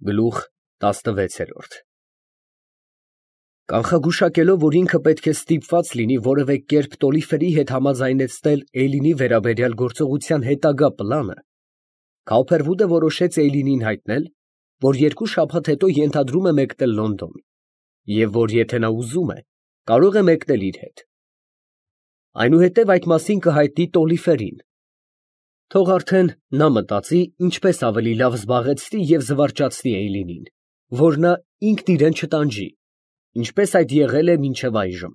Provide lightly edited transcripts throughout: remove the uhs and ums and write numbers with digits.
Գլուխ 16 Կանխագուշակելով, որ ինքը պետք է ստիպված լինի որևէ կերպ Տոլիֆերի հետ համաձայնեցնել Էյլինի վերաբերյալ գործողության հետագա պլանը, Կայլֆերվուդը որոշեց Էյլինին հայտնել, որ 2 շաբաթ հետո ենթադրում է մեկնել Լոնդոն, և որ եթե նա ուզում է, կարող է մեկնել իր հետ։ Այնուհետև այդ մասին կհայտնի Տոլիֆերին։ Թող արդեն նա մտածի, ինչպես ավելի լավ զբաղեցնի և զվարճացնի Էյլինին, որ նա ինքն իրան չտանջի, ինչպես այդ եղել է մինչև այժմ։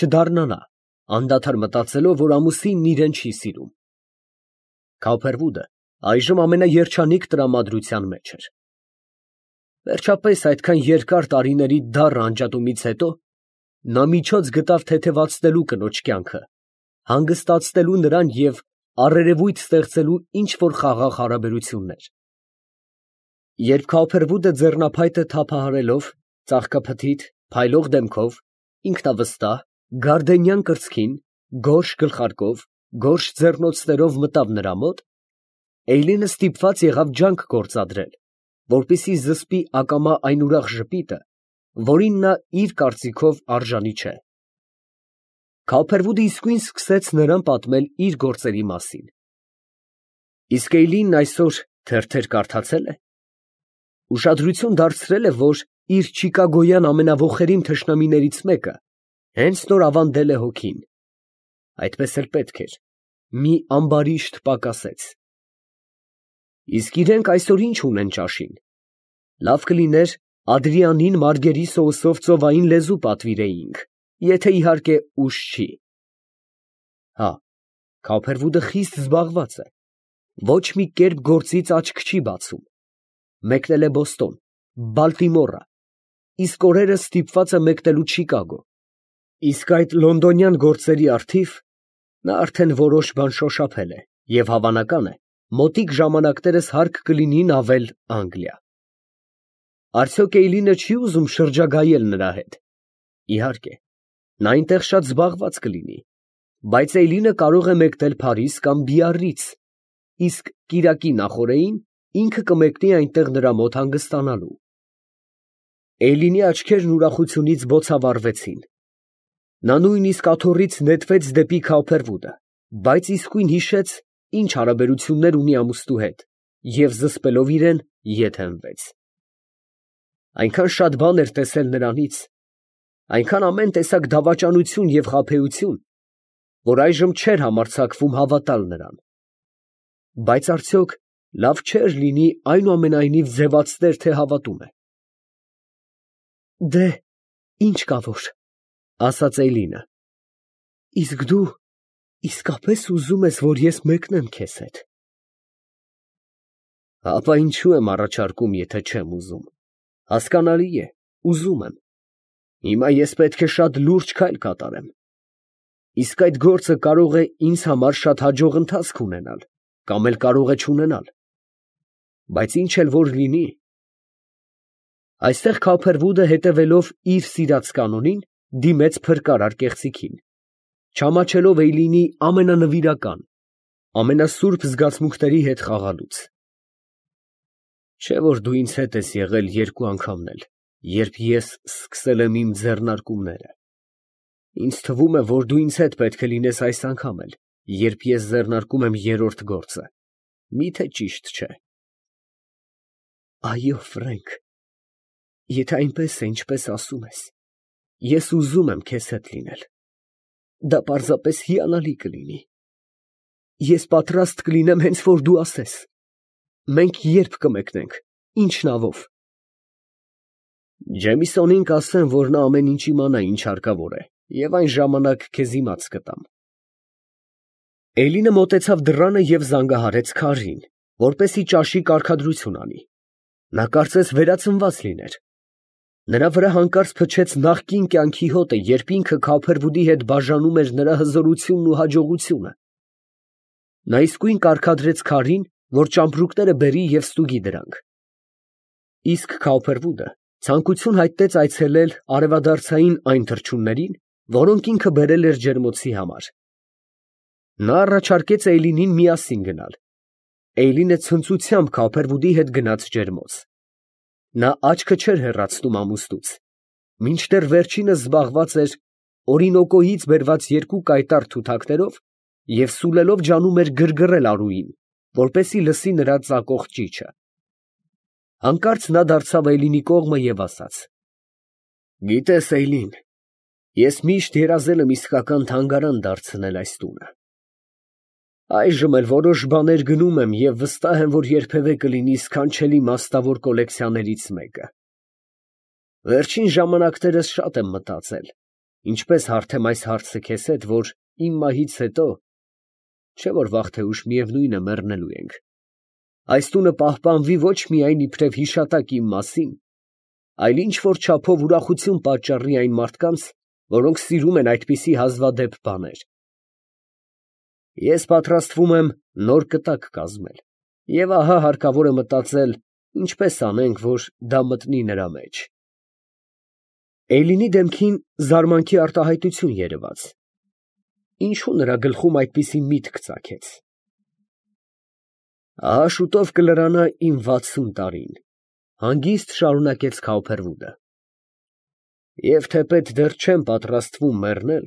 Չդառնա նա, անդադար մտածելով, որ ամուսինն իրան չի սիրում։ Կայլֆերվուդը այժմ ամենաերջանիկ տրամադրության մեջ էր։ Վերջապես, այդքան երկար տարիների դառը անջատումից հետո նա միջոց գտավ թեթևացնելու կնոջ կյանքը, հանգստացնելու նրան և առերևույթ ստեղծելու ինչ֊որ խաղաղ հարաբերություններ։ Երբ Կայլֆերվուդը ձեռնափայտը թափահարելով, ծաղկափթիթ, փայլող դեմքով, ինքնավստահ, գարդենյան կրծքին, գորշ գլխարկով, գորշ ձեռնոցներով մտավ նրա մոտ, Էյլինը ստիպված եղավ ջանք գործադրել, որպեսզի զսպի ակամա այն ուրախ ժպիտը, որին նա իր կարծիքով արժանի չէ։ Կայլֆերվուդը իսկույն սկսեց նրան պատմել իր գործերի մասին։ Իսկ Էյլինն այսօր թերթեր կարդացե՞լ է։ Ուշադրություն դարձրե՞լ է, որ իր չիկագոյան ամենաոխերիմ թշնամիներից մեկը հենց նոր ավանդել է հոգին։ Այդպես էլ պետք էր։ Մի ամբարիշտ պակասեց։ Իսկ իրենք այսօր ինչ ունեն ճաշին։ Լավ կլիներ Ադրիանին մարգերի սոուսով ծովային լեզու պատվիրեինք, եթե իհարկե ուշ չի։ Հա, Կայլֆերվուդը խիստ զբաղված է։ Ոչ մի կերպ գործից աչք չի բացում։ Մեկնել է Բոստոն, Բալտիմոռը, իսկ օրերս ստիպված է մեկնելու Չիկագո։ Իսկ այդ լոնդոնյան գործերի առթիվ նա արդեն որոշ բան շոշափել է և հավանական է, մոտիկ ժամանակներս հարկ կլինի նավել Անգլիա։ Արդյոք Էյլինը չի ուզում շրջագայել նրա հետ։ Իհարկե, նա այնտեղ շատ զբաղված կլինի, բայց Էյլինը կարող է մեկնել Փարիզ կամ Բիառռից, իսկ կիրակի նախօրեին ինքը կմեկնի այնտեղ նրա մոտ հանգստանալու։ Էյլինի աչքերն ուրախությունից բոցավառվեցին։ Նա նույնիսկ աթոռից նետվեց դեպի Կայլֆերվուդը, բայց իսկույն հիշեց, ինչ հարաբերություններ ունի ամուսնու հետ, և զսպելով իրեն, ետ հենվեց։ Այնքան շատ բան էր տեսել նրանից, այնքան ամեն տեսակ դավաճանություն և խաբեություն, որ այժմ չէր համարձակվում հավատալ նրան։ Բայց արդյոք լավ չէր լինի այնուամենայնիվ ձևացներ, թե հավատում է։ Դե, ինչ կա որ, ասաց Էյլինը, իսկ դու իսկապես ուզում ես, որ ես մեկնեմ քեզ հետ։ Ապա ինչու եմ առաջարկում, եթե չեմ ուզում։ Հասկանալի է, ուզում եմ։ Հիմա ես պետք է շատ լուրջ քայլ կատարեմ։ Իսկ այդ գործը կարող է ինձ համար շատ հաջող ընթացք ունենալ, կամ էլ կարող է չունենալ։ Բայց ինչ էլ որ լինի։ Այստեղ Կայլֆերվուդը, հետևելով իր սիրած կանոնին, դիմեց փրկարար կեղծիքին, չամաչելով Էյլինի ամենանվիրական, ամենասուրբ զգացմունքների հետ խաղալուց։ Չէ՞ որ դու ինձ հետ ես եղել 2 անգամն էլ, երբ ես սկսել եմ իմ ձեռնարկումները։ Ինձ թվում է, որ դու ինձ հետ պետք է լինես այս անգամ էլ, երբ ես ձեռնարկում եմ 3-րդ գործը։ Մի՞թե ճիշտ չէ։ Այո, Ֆրենք, եթե այնպես է, ինչպես ասում ես, ես ուզում եմ քեզ հետ լինել։ Դա պարզապես հիանալի կլինի։ Ես պատրաստ կլինեմ հենց որ դու ասես։ Մենք երբ կմեկնենք, ինչ նավով։ Ջեմիսոնին կասեմ, որ նա ամեն ինչ իմանա, ինչ հարկավոր է, և այն ժամանակ քեզ իմաց կտամ։ Էյլինը մոտեցավ դռանը և զանգահարեց քարին, որպեսզի ճաշի կարգադրություն անի։ Նա կարծես վերածնված լիներ։ Նրա վրա հանկարծ փչեց նախկին կյանքի հոտը, երբ ինքը Կայլֆերվուդի հետ բաժանում էր նրա հզորությունն ու հաջողությունը։ Նա իսկույն կարգադրեց քարին, որ ճամպրուկները բերի և ստուգի դրանք։ Իսկ Կայլֆերվուդը ցանկություն հայտնեց այցելել արևադարձային այն թռչուններին, որոնք ինքը բերել էր ջերմոցի համար։ Նա առաջարկեց Էյլինին միասին գնալ։ Էյլինը ցնծությամբ Կայլֆերվուդի հետ գնաց ջերմոց։ Նա աչքը չէր հեռացնում ամուսնուց, մինչդեռ վերջինս զբաղված էր օրինոկոյից բերված երկու կայտառ թութակներով և սուլելով ջանում էր գրգռել Արուին, որպեսզի լսի նրա ծակող ճիչը։ Հանկարծ նա դարձավ Էյլինի կողմը և ասաց. «Գիտես, Էյլին, ես միշտ երազել եմ իսկական թանգարան դարձնել այս տունը։ Այժմ էլ որոշ բաներ գնում եմ և վստահ եմ, որ երբևէ կլինի սքանչելի մասնավոր կոլեկցիաներից մեկը։ Վերջին ժամանակներս շատ եմ մտածել, ինչպես հարթեմ այս հարցը քեզ հետ, որ իմ մահից հետո, չէ որ վաղ թե ուշ միևնույն է մեռնելու ենք, այս տունը պահպանվի ոչ միայն իբրև հիշատակ իմ մասին, այլ ինչ որ չափով ուրախություն պատճառի այն մարդկանց, որոնք սիրում են այդպիսի հազվադեպ բաներ։ Ես պատրաստվում եմ նոր կտակ կազմել, և ահա հարկավոր է մտածել, ինչպես անենք, որ դա մտնի նրա մեջ»։ Էյլինի դեմքին զարմանքի արտահայտություն երևաց. ինչու նրա գլխում այդպիսի միտք ծագեց։ «Ահա շուտով կլրանա իմ 60 տարին», հանգիստ շարունակեց Քաուփերվուդը, «և թեպետ դեռ չեմ պատրաստվում մեռնել,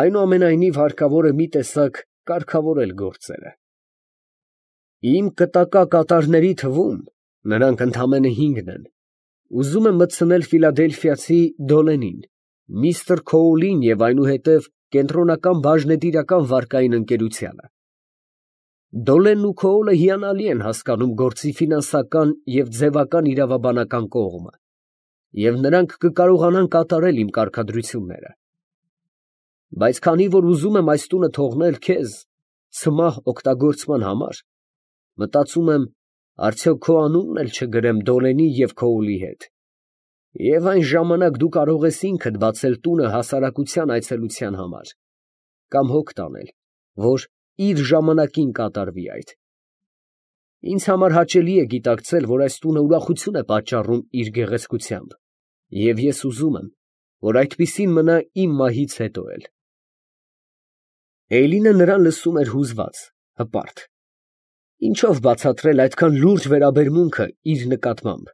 այնուամենայնիվ հարկավոր է մի տեսակ կարգավորել գործերը։ Իմ կտակակատարների թվում, նրանք ընդամենը 5 են, ուզում եմ մտցնել ֆիլադելֆիացի Դոլենին, միստր Քոուլին և այնուհետև կենտրոնական բաժնետիրական վարկային ընկերությանը։ Դոլենն ու Քոուլը հիանալի են հասկանում գործի ֆինանսական և ձևական իրավաբանական կողմը, և նրանք կկարողանան կատարել իմ կարգադրությունները։ Բայց քանի որ ուզում եմ այս տունը թողնել քեզ ցմահ օգտագործման համար, մտածում եմ, արդյոք քո անունն էլ չգրեմ Դոլենի և Քոուլի հետ, և այն ժամանակ դու կարող ես ինքդ բացել տունը հասարակության այցելության համար, կամ հոգ տանել, որ իր ժամանակին կատարվի այդ։ Ինձ համար հաճելի է գիտակցել, որ այս տունը ուրախություն է պատճառում իր գեղեցկությամբ, և ես ուզում եմ, որ այդպիսին մնա իմ մահից հետո էլ»։ Էյլինը նրան լսում էր հուզված, հպարտ։ Ինչո՞վ բացատրել այդքան լուրջ վերաբերմունքը իր նկատմամբ,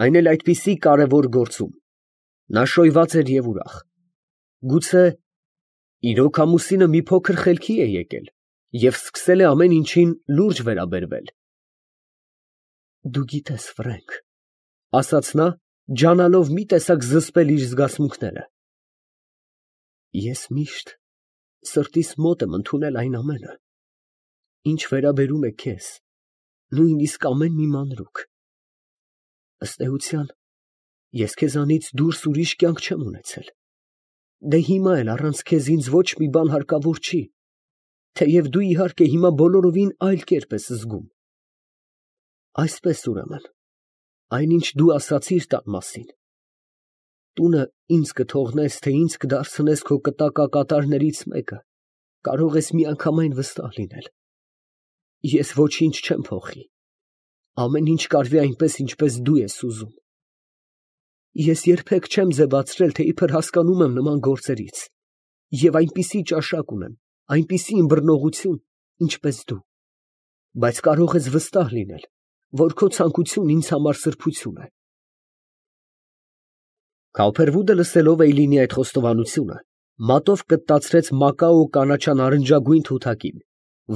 այն էլ այդպիսի կարևոր գործում։ Նա շոյված էր և ուրախ։ Գուցե իրոք ամուսինը մի փոքր խելքի է եկել և սկսել է ամեն ինչին լուրջ վերաբերվել։ «Դու գիտես, Ֆրենք, ֊ ասաց նա, ջանալով մի տեսակ զսպել իր զգացմունքները, ֊ ես միշտ սրտիս մոտ եմ ընդունել այն ամենը, ինչ վերաբերում է քեզ, նույնիսկ ամեն մի մանրուք։ Ըստ էության, ես քեզանից դուրս ուրիշ կյանք չեմ ունեցել, դե հիմա էլ առանց քեզ ինձ ոչ մի բան հարկավոր չի, թեև դու, իհարկե, հիմա բոլորովին այլ կերպ ես զգում։ Այսպես, ուրեմն, այնինչ դու ասացիր տան մասին, տունը ինձ կթողնես, թե ինձ կդարձնես քո կտակակատարներից մեկը, կարող ես միանգամայն վստահ լինել։ Ես ոչինչ չեմ փոխի, ամեն ինչ կարվի այնպես, ինչպես դու ես ուզում։ Ես երբեք չեմ ձևացրել, թե իբր հասկանում եմ նման գործերից, և այնպիսի ճաշակ ունեմ, այնպիսի ըմբռնողություն, ինչպես դու, բայց կարող ես վստահ լինել, որ քո ցանկությունն ինձ համար սրբություն է։ Քաուփերվուդը, լսելով Էյլինի այդ խոստովանությունը, մատով կտտացրեց մակաո կանաչանարնջագույն թութակին,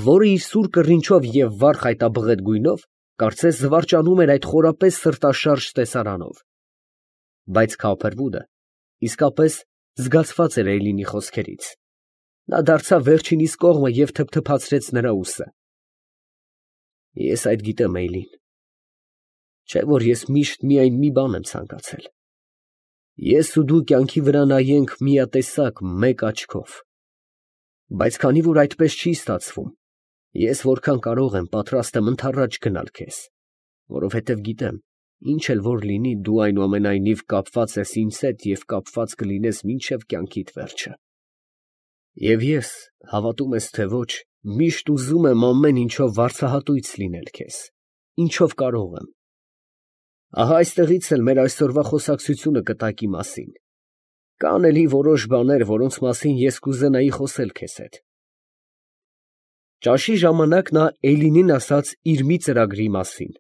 որը իր սուր կռինչով և վառ խայտաբղետ գույնով կարծես զվարճանում էր այդ խորապես սրտաշարժ տեսարանով։ Բայց Քաուփերվուդը իսկապես զգացված էր Էյլինի խոսքերից։ Նա դարձավ վերջինիս կողմը և թփթփացրեց նրա ուսը։ Ես այդ գիտեմ, Էյլին, չէ՞ որ ես միշտ միայն մի բան եմ ցանկացել. ես ու դու կյանքի վրա նայենք միատեսակ մեկ աչքով։ Բայց քանի որ այդպես չի ստացվում, ես որքան կարող եմ պատրաստ եմ ընդառաջ գնալ քեզ, որովհետև գիտեմ, ինչ էլ որ լինի, դու այնուամենայնիվ կապված ես ինձ հետ և կապված կլինես մինչև կյանքիդ վերջը։ Եվ ես, հավատում ես թե ոչ, միշտ ուզում եմ ամեն ինչով վարձահատույց լինել քեզ, ինչով կարող եմ։ Ահա այստեղից էլ մեր այսօրվա խոսակցությունը կտակի մասին։ Կան էլի որոշ բաներ, որոնց մասին ես կուզենայի խոսել քեզ հետ։ Ճաշի ժամանակ նա Էյլինին ասաց իր մի ծրագրի մասին։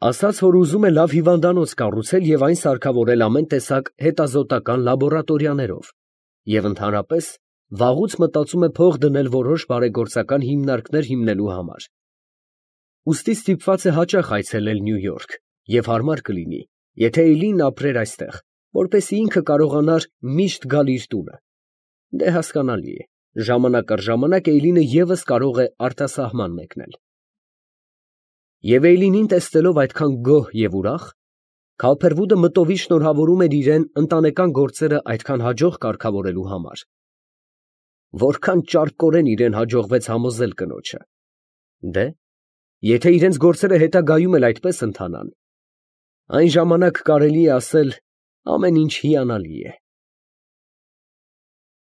Ասաց, որ ուզում է լավ հիվանդանոց կառուցել և այն սարքավորել ամեն տեսակ հետազոտական լաբորատորիաներով և ընդհանրապես վաղուց մտածում է փող դնել որոշ բարեգործական հիմնարկներ հիմնելու համար։ Ուստի ստիպված է հաճախ այցելել Նյու Յորք և հարմար կլինի, եթե Էյլին ապրեր այստեղ, որպեսզի ինքը կարողանար միշտ գալ իր տունը։ Դե հասկանալի է, ժամանակ առ ժամանակ Էյլինը ևս կարող է արտասահման մեկնել։ Եվ Էյլինին տեսնելով այդքան գոհ և ուրախ, Քալփերվուդը մտովի շնորհավորում էր իրան ընտանեկան գործերը այդքան հաջող կարգավորելու համար։ Որքան ճարպկորեն իրան հաջողվեց համոզել կնոջը։ Դե, եթե իրենց գործերը հետագայում էլ այդպես ընթանան, այն ժամանակ կարելի է ասել ամեն ինչ հիանալի է։